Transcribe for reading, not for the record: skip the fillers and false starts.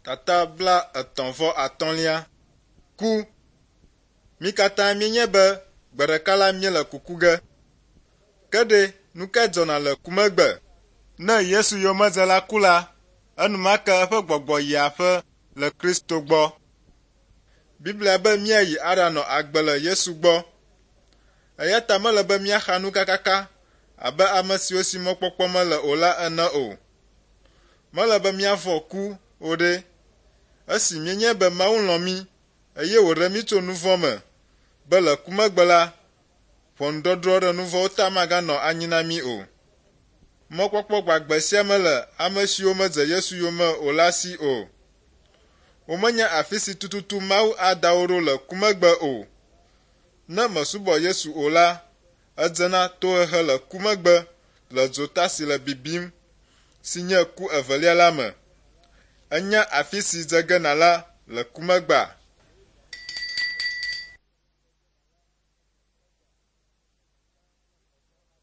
Tata 35lia. Ku. Mí katã míenyae be gbe ɖeka la míele kuku ge. Ke ɖe, nu kae dzɔna le ku megbe? Ne Yesu yomedzela ku la, enumake eƒe gbɔgbɔ yia aƒe le Kristo gbɔ. Biblia be míayi aɖanɔ agbe le Yesu gbɔ. Eya ta mele be míaxa nu kakaka abe ame siwo si mɔkpɔkpɔ mele o la ene o. Mele be míavɔ̃ ku o ɖe, esi míenyae be Mawu lɔ̃ mí eye wòɖe mí tso nu vɔ̃ me, be le ku megbe la, ʋɔnudɔdrɔ̃ ɖe nu vɔ̃wo ta maganɔ anyi na mí o. Mɔkpɔkpɔ gbagbe sia mele ame siwo medze Yesu yome o la si o. Womenya afi si tututu Mawu ada wo ɖo le ku megbe o. Ne mèsubɔ Yesu o la, edze na tohehe le ku megbe le dzota si le bibim, si nye ku evelia la me. Ènya afi si dze ge nàla le ku megbea?